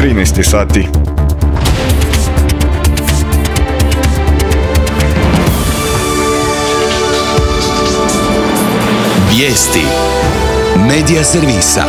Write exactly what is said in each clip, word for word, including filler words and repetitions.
trinaest je sati. Vijesti Medija servisa.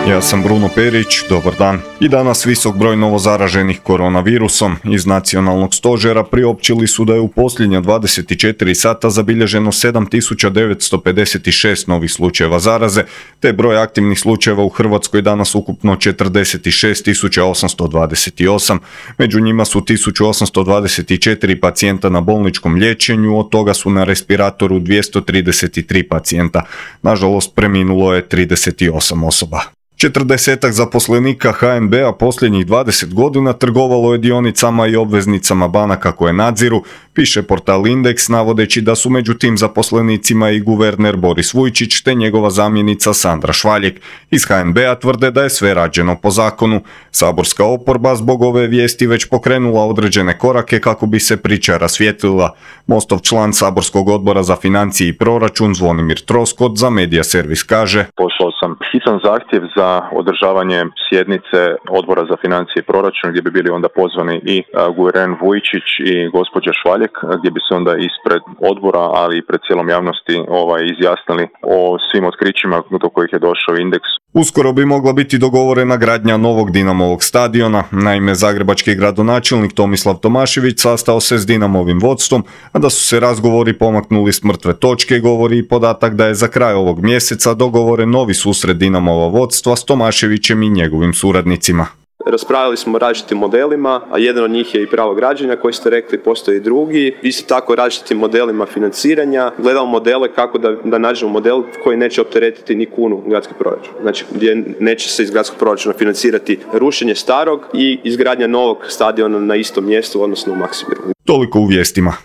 Ja sam Bruno Perić, dobar dan. I danas visok broj novozaraženih koronavirusom. Iz nacionalnog stožera priopćili su da je u posljednja dvadeset četiri sata zabilježeno sedam tisuća devetsto pedeset šest novih slučajeva zaraze, te broj aktivnih slučajeva u Hrvatskoj danas ukupno četrdeset šest tisuća osamsto dvadeset osam. Među njima su tisuću osamsto dvadeset četiri pacijenta na bolničkom liječenju, od toga su na respiratoru dvjesto trideset tri pacijenta. Nažalost, preminulo je trideset osam osoba. Četrdesetak zaposlenika H N B-a posljednjih dvadeset godina trgovalo je dionicama i obveznicama banaka koje nadziru, piše portal Indeks, navodeći da su među tim zaposlenicima i guverner Boris Vujčić te njegova zamjenica Sandra Švaljek. Iz H N B-a tvrde da je sve rađeno po zakonu. Saborska oporba zbog ove vijesti već pokrenula određene korake kako bi se priča rasvijetlila. Mostov član saborskog odbora za financije i proračun Zvonimir Troskot za Medija servis kaže: Poslao sam hitan zahtjev za održavanje sjednice odbora za financije i proračun gdje bi bili onda pozvani i guverner Vujčić i gospođa Švaljek, gdje bi se onda ispred odbora, ali i pred cijelom javnosti ovaj, izjasnili o svim otkrićima do kojih je došao Indeks. Uskoro bi mogla biti dogovorena gradnja novog Dinamovog stadiona. Naime, zagrebački gradonačelnik Tomislav Tomašević sastao se s Dinamovim vodstvom, a da su se razgovori pomaknuli s mrtve točke govori i podatak da je za kraj ovog mjeseca dogovoren novi susret Dinamova vodstva s Tomaševićem i njegovim suradnicima. Raspravili smo o različitim modelima, a jedan od njih je i pravo građenja koji ste rekli, postoji i drugi. Isto tako različitim modelima financiranja. Gledamo modele kako da, da nađemo model koji neće opteretiti ni kunu gradski proračun. Znači gdje neće se iz gradskog proračuna financirati rušenje starog i izgradnja novog stadiona na istom mjestu, odnosno u Maksimiru. Toliko u vijestima.